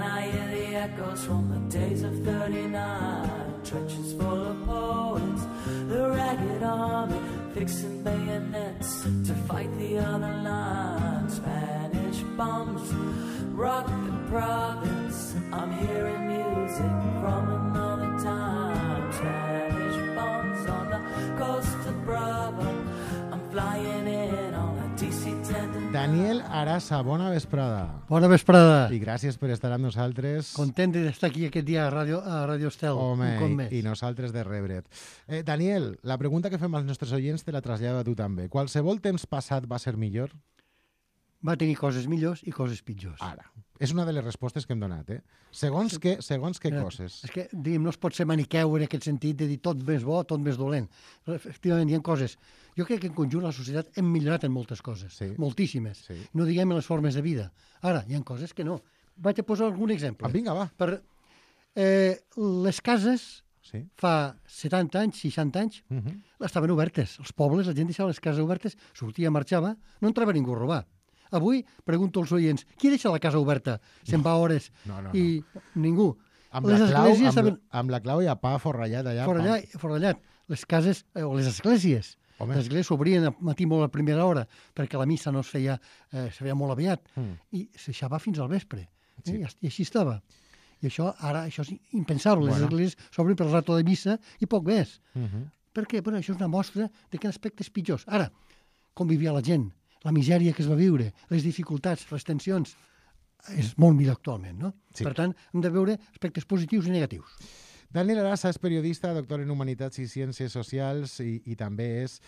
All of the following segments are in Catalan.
and I hear the echoes from the days of 39. Trenches full of poets, the ragged army fixing bayonets to fight the other line. Spanish bombs rock the province. I'm hearing music from another time. Spanish bombs on the coast of Bravo. I'm flying in on a DC-10. Daniel Arasa, bona vesprada. Bona vesprada. I gràcies per estar amb nosaltres. Content d'estar aquí aquest dia a Radio Estel. Home, un cop més. i nosaltres de rebre't. Daniel, la pregunta que fem als nostres oients te la trasllado a tu també. Qualsevol temps passat va ser millor? Va tenir coses millors i coses pitjors. Ara. És una de les respostes que hem donat, eh? Segons què coses. És que, diguem, no es pot ser maniqueu en aquest sentit de dir tot més bo, tot més dolent. Però, efectivament, hi ha coses. Jo crec que en conjunt la societat hem millorat en moltes coses, sí. Moltíssimes. Sí. No diguem en les formes de vida. Ara, hi ha coses que no. Vaig a posar algun exemple. Vinga, va. Les cases, sí. Fa 70 anys, 60 anys, estaven obertes. Els pobles, la gent deixava les cases obertes, sortia, marxava, no entrava ningú a robar. Avui pregunto als oients, qui deixa la casa oberta? Se'n va hores i ningú. Amb la clau i a pa forrellat allà. Forrellat. Les cases o les esglésies. Home. Les esglésies s'obrien al matí molt a primera hora perquè la missa no es feia molt aviat i es deixava fins al vespre. Sí. I així estava. I això és impensable. Les esglésies s'obren per rato de missa i poc més. Per què? Bueno, això és una mostra de que aspectes pitjors. Ara, com vivia la gent, la misèria que es va viure, les dificultats, les tensions, és molt millor actualment, no? Sí. Per tant, hem de veure aspectes positius i negatius. Daniel Arasa és periodista, doctor en Humanitats i Ciències Socials i també és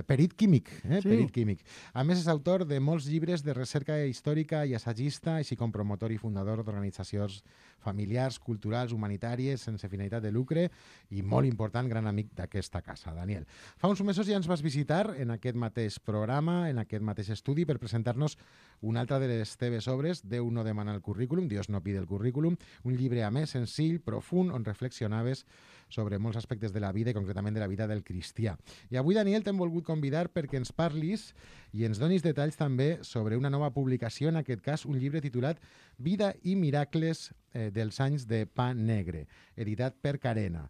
perit químic. Sí. Perit químic. A més, és autor de molts llibres de recerca històrica i assagista, així com promotor i fundador d'organitzacions familiars, culturals, humanitàries, sense finalitat de lucre i molt important, gran amic d'aquesta casa. Daniel, fa uns mesos ja ens vas visitar en aquest mateix programa, en aquest mateix estudi, per presentar-nos una altra de les teves obres, Déu no demana el currículum, Dios no pide el currículum, un llibre a més senzill, profund, on reflexionaves sobre molts aspectes de la vida i concretament de la vida del cristià. I avui, Daniel, t'hem volgut convidar perquè ens parlis i ens donis detalls també sobre una nova publicació, en aquest cas un llibre titulat Vida i miracles dels anys de Pa Negre, editat per Carena.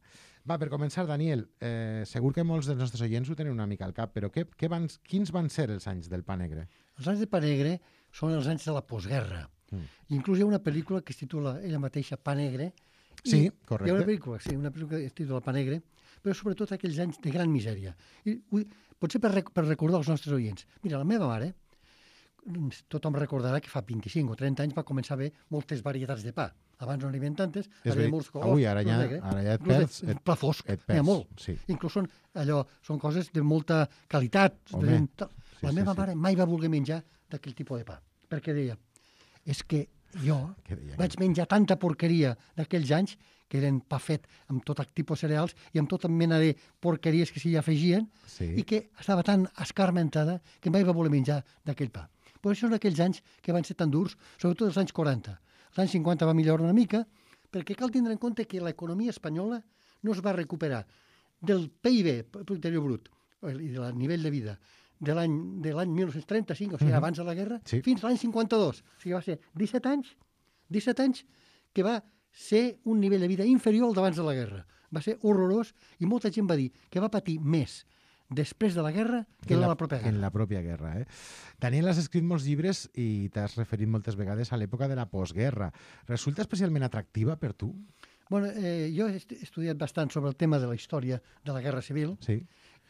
Va, per començar, Daniel, segur que molts dels nostres oients ho tenen una mica al cap, però quins van ser els anys del Pa Negre? Els anys de Pa Negre són els anys de la postguerra. Inclús hi ha una pel·lícula que es titula ella mateixa Pa Negre. Sí, correcte. Hi ha una pel·lícula que es titula Pa Negre, però sobretot aquells anys de gran misèria. I potser per recordar als nostres oients. Mira, la meva mare, tothom recordarà que fa 25 o 30 anys va començar a haver moltes varietats de pa. Abans no n'hi havia tantes, ara hi ha molts colors. Avui, ara ja et perds. Pla fosc, n'hi ha molt. Sí. Inclús són coses de molta qualitat. La meva mare mai va voler menjar d'aquell tipus de pa, perquè deia, és que jo vaig menjar tanta porqueria d'aquells anys, que eren pa fet amb tot tipus de cereals i amb tota mena de porqueries que s'hi afegien, i que estava tan escarmentada que mai va voler menjar d'aquell pa. Però això són aquells anys que van ser tan durs, sobretot els anys 40. Els anys 50 va millorar una mica, perquè cal tindre en compte que l'economia espanyola no es va recuperar del PIB, Producte Interior Brut, i del nivell de vida, de l'any 1935, o sigui, abans de la guerra, fins a l'any 52. O sigui, va ser 17 anys que va ser un nivell de vida inferior al d'abans de la guerra. Va ser horrorós i molta gent va dir que va patir més després de la guerra que en la pròpia guerra. En la pròpia guerra, Daniel, has escrit molts llibres i t'has referit moltes vegades a l'època de la postguerra. Resulta especialment atractiva per tu? Bueno, jo he estudiat bastant sobre el tema de la història de la Guerra Civil. Sí.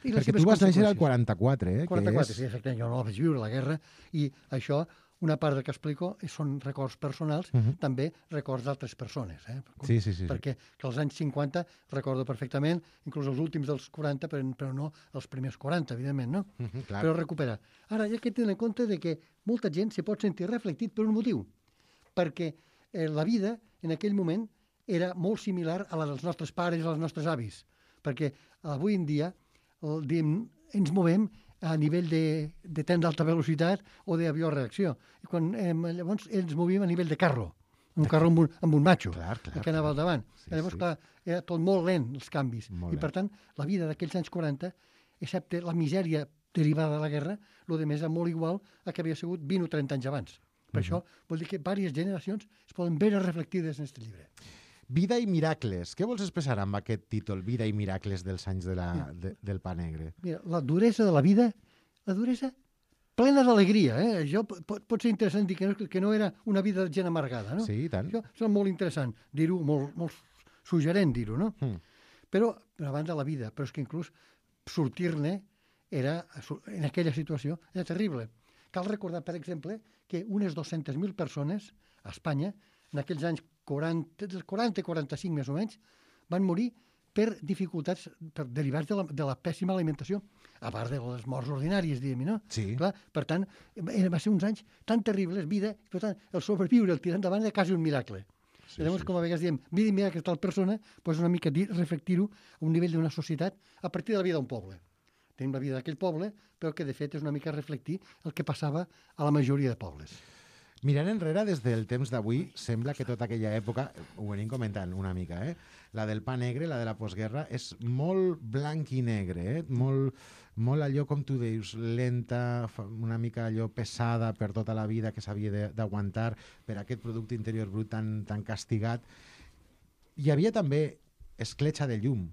Perquè tu vas néixer al 44, 44, sí, exactament. Jo no la vaig viure, la guerra, i això, una part del que explico són records personals, també records d'altres persones. Sí. Perquè que als anys 50 recordo perfectament, inclús els últims dels 40, però no els primers 40, evidentment, no? Però recuperar. Ara, hi ha que tenir en compte que molta gent se pot sentir reflectit per un motiu, perquè la vida en aquell moment era molt similar a la dels nostres pares i als nostres avis, perquè avui en dia ens movem a nivell de tren d'alta velocitat o d'avió a reacció. I llavors ens movíem a nivell de carro, un carro amb un matxo, que anava al davant. Llavors, clar, era tot molt lent, els canvis. I, per tant, la vida d'aquells anys 40, excepte la misèria derivada de la guerra, el que més era molt igual a que havia sigut 20 o 30 anys abans. Per això vol dir que diverses generacions es poden veure reflectides en aquest llibre. Vida i miracles. Què vols expressar amb aquest títol, Vida i miracles dels anys del Pa Negre? Mira, la duresa de la vida, la duresa plena d'alegria. Això pot ser interessant dir que no era una vida de gent amargada, no? Sí, i tant. Això és molt interessant dir-ho, molt suggerent dir-ho, no? Però, a banda de la vida, però és que inclús sortir-ne en aquella situació era terrible. Cal recordar, per exemple, que unes 200.000 persones a Espanya, en aquells anys 40-45 més o menys, van morir per dificultats derivats de la pèssima alimentació, a part de les morts ordinàries, diguem-hi, no? Sí. Clar, per tant, va ser uns anys tan terribles, vida, per tant, el sobreviure, el tirar endavant era quasi un miracle. Sí, llavors, com a vegades diem, vida i miracle tal persona, doncs una mica reflectir-ho a un nivell d'una societat a partir de la vida d'un poble. Tenim la vida d'aquell poble, però que de fet és una mica reflectir el que passava a la majoria de pobles. Mirant enrere, des del temps d'avui, sembla que tota aquella època, ho venim comentant una mica, la del Pa Negre, la de la postguerra, és molt blanc i negre, molt allò, com tu dius, lenta, una mica allò pesada per tota la vida que s'havia d'aguantar per aquest producte interior brut tan castigat. Hi havia també escletxa de llum.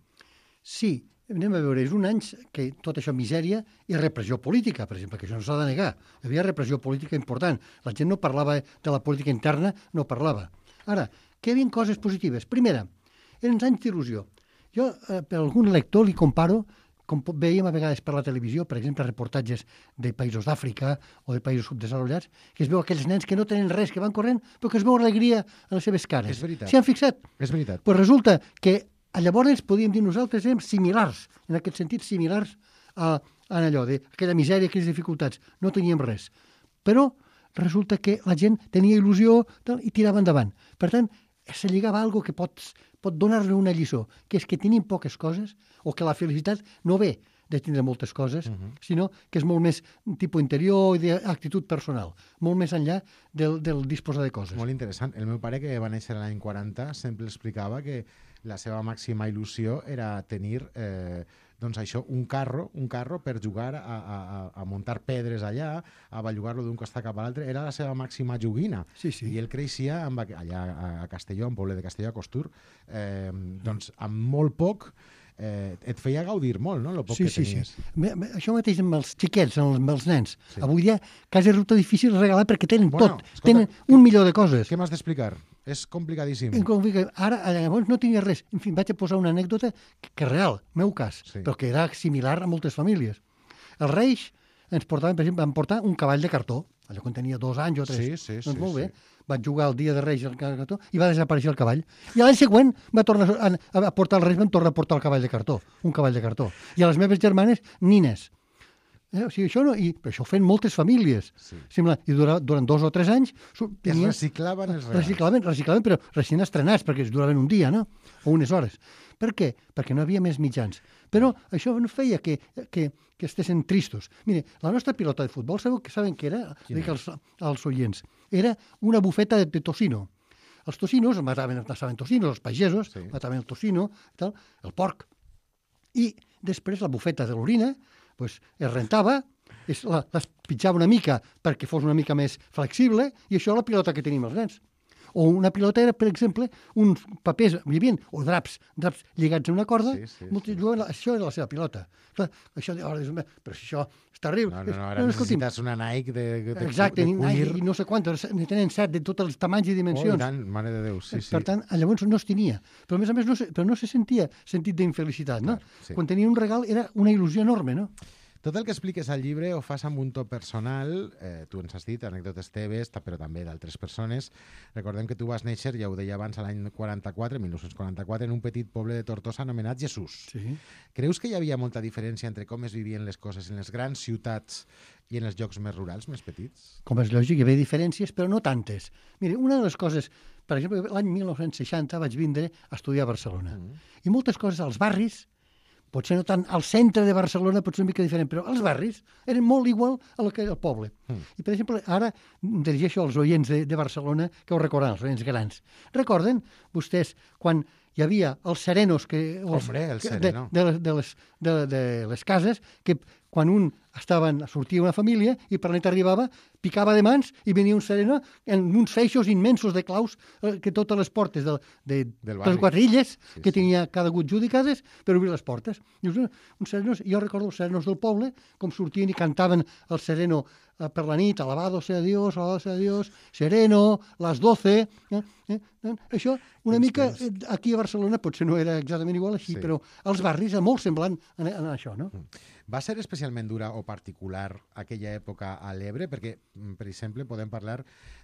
Sí, anem a veure, és un any que tot això misèria i repressió política, per exemple, que això no s'ha de negar. Hi havia repressió política important. La gent no parlava de la política interna, no parlava. Ara, que hi havia coses positives. Primera, eren anys d'il·lusió. Jo, per algun lector, li comparo, com veiem a vegades per la televisió, per exemple, reportatges de països d'Àfrica o de països subdesenvolupats, que es veu aquells nens que no tenen res, que van corrent, però que es veu alegria a les seves cares. És veritat. S'hi han fixat? És veritat. Pues resulta que llavors podíem dir nosaltres érem similars, en aquest sentit similars a allò, d'aquella misèria, aquelles dificultats. No teníem res. Però resulta que la gent tenia il·lusió i tirava endavant. Per tant, se lligava a alguna que pot donar-li una lliçó, que és que tenim poques coses o que la felicitat no ve de tindre moltes coses, sinó que és molt més tipus interior i d'actitud personal, molt més enllà del disposar de coses. Molt interessant. El meu pare, que va néixer l'any 40, sempre explicava que la seva màxima il·lusió era tenir doncs això, un carro per jugar a muntar pedres allà, a bellugar-lo d'un costat cap a l'altre. Era la seva màxima joguina. Sí, sí. I ell creixia allà a Castelló, en poble de Castelló, a Costur, doncs amb molt poc et feia gaudir molt, no?, el poc que tenies. Sí. Això mateix amb els xiquets, amb els nens. Sí. Avui dia quasi resulta difícil regalar perquè tenen tot. Escolta, tenen un milió de coses. Què m'has d'explicar? És complicadíssim. Ara, llavors, no tenia res. En fi, vaig a posar una anècdota que és real, meu cas, però que era similar a moltes famílies. Els Reis ens portaven, per exemple, van portar un cavall de cartó, allò quan tenia 2 anys o 3. Doncs molt bé. Vaig jugar el dia de Reis al cartó i va desaparèixer el cavall. I l'any següent va tornar a portar els Reis, van tornar a portar el cavall de cartó, un cavall de cartó. I a les meves germanes, nines. O sigui, això no, i això ho feien moltes famílies. Sí. I durant 2 o 3 anys... Es reciclaven els regals. Reciclaven, però recient estrenats, perquè es duraven un dia, no? O unes hores. Per què? Perquè no havia més mitjans. Però això no feia que estessin tristos. Mire, la nostra pilota de futbol, saben què era? Dic als oients. Era una bufeta de tocino. Els tocinos, mataven tocinos, els pagesos, mataven el tocino, el porc. I després la bufeta de l'orina es rentava, les pitjava una mica perquè fos una mica més flexible, i això és la pilota que tenim els nens. O una pilota era, per exemple, uns papers, o draps lligats a una corda, això era la seva pilota. Clar, això, però això és terrible. No, ara necessites una Nike de exacte, de cuir. I no sé quantes, ne tenen 7 de tots els tamanys i dimensions. Oh, i tant, mare de Déu, sí. Per tant, llavors no es tenia. Però a més no se sentia sentit d'infelicitat, no? Sí. Quan tenia un regal era una il·lusió enorme, no? Tot el que expliques al llibre ho fas amb un to personal, tu ens has dit, anècdotes teves, però també d'altres persones. Recordem que tu vas néixer, ja ho deia abans, l'any 1944, en un petit poble de Tortosa anomenat Jesús. Sí. Creus que hi havia molta diferència entre com es vivien les coses en les grans ciutats i en els llocs més rurals, més petits? Com és lògic, hi havia diferències, però no tantes. Mira, una de les coses, per exemple, l'any 1960 vaig vindre a estudiar a Barcelona. I moltes coses als barris, potser no tant al centre de Barcelona, potser una mica diferent, però els barris eren molt igual a lo que era el poble. I, per exemple, ara dirigeixo als oients de Barcelona, que ho recordaran, els oients grans. Recorden vostès quan hi havia els serenos Hombre, el sereno. de les cases, que quan un sortia una família i per la nit arribava, picava de mans i venia un sereno en uns feixos immensos de claus que totes les portes de les 4 illes que tenia cada hagut judicades per obrir les portes. Uns serenos, jo recordo els serenos del poble, com sortien i cantaven el sereno per la nit, alabado sea Dios, sereno, las 12... Això, una mica, aquí a Barcelona potser no era exactament igual així, però als barris és molt semblant a això, no? Va ser especialment dura o particular aquella època a l'Ebre? Perquè, per exemple, podem parlar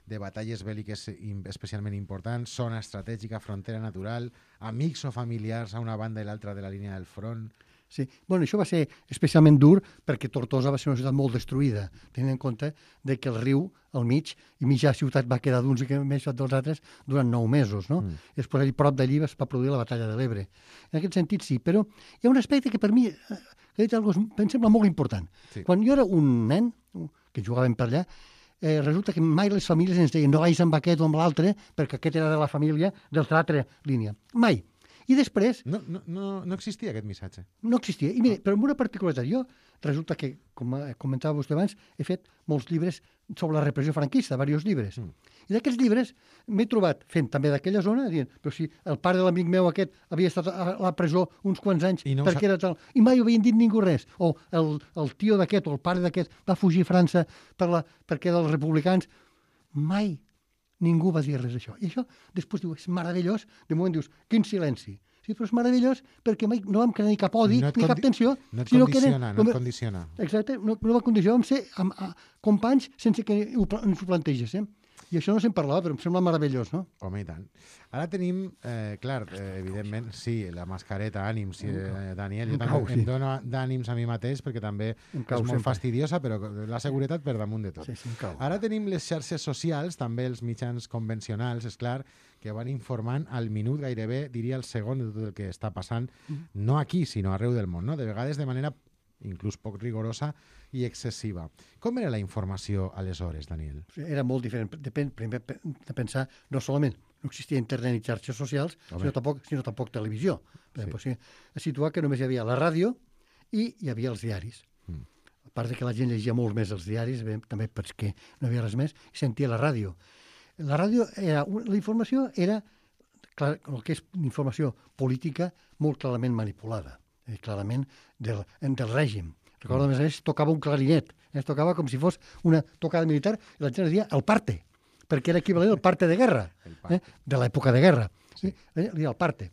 de batalles bèl·liques especialment importants, zona estratègica, frontera natural, amics o familiars a una banda i l'altra de la línia del front... Sí, bueno, això va ser especialment dur perquè Tortosa va ser una ciutat molt destruïda, tenint en compte de que el riu al mig i mitja ciutat va quedar d'uns i més dels altres durant 9 mesos, no? I després, prop d'allí es va produir la batalla de l'Ebre. En aquest sentit, sí, però hi ha un aspecte que per mi em sembla molt important. Sí. Quan jo era un nen, que jugàvem per allà, resulta que mai les famílies ens deien no vagis amb aquest o amb l'altre perquè aquest era de la família de l'altra línia. Mai. I després... No existia aquest missatge. No existia. I mira, però amb una particularitat, jo resulta que, com comentava vostè abans, he fet molts llibres sobre la repressió franquista, diversos llibres. I d'aquests llibres m'he trobat fent també d'aquella zona, dient, però si el pare de l'amic meu aquest havia estat a la presó uns quants anys perquè era tal... I mai havien dit ningú res. O el tio d'aquest o el pare d'aquest va fugir a França perquè era dels republicans. Mai ningú va dir res d'això. I això després diu, és meravellós. De moment dius, quin silenci. Sí, però és meravellós perquè mai no vam crear ni cap odi, ni cap tensió. No et condiciona. Exacte, no va condicionar. Vam ser companys sense que ens ho plantegés. I això no se'n parlava, però em sembla meravellós, no? Home, i tant. Ara tenim, clar, evidentment, sí, la mascareta, ànims, Daniel. Jo també em dono d'ànims a mi mateix perquè també és molt fastidiosa, però la seguretat per damunt de tot. Ara tenim les xarxes socials, també els mitjans convencionals, és clar, que van informant al minut gairebé, diria el segon de tot el que està passant, no aquí, sinó arreu del món, no? De vegades de manera inclús poc rigorosa i excessiva. Com era la informació aleshores, Daniel? Era molt diferent. Depèn primer de pensar, no solament no existia internet ni xarxes socials, sinó tampoc televisió. Sí. A situar que només hi havia la ràdio i hi havia els diaris. A part de que la gent llegia molt més els diaris, també perquè no hi havia res més, i sentia la ràdio. La ràdio la informació era, clar, el que és informació política, molt clarament manipulada. Clarament del règim. Recordo, a més, tocava un clarinet. Es tocava com si fos una tocada militar i la gent es deia el parte, perquè era equivalent al parte de guerra, de l'època de guerra. Sí. El parte.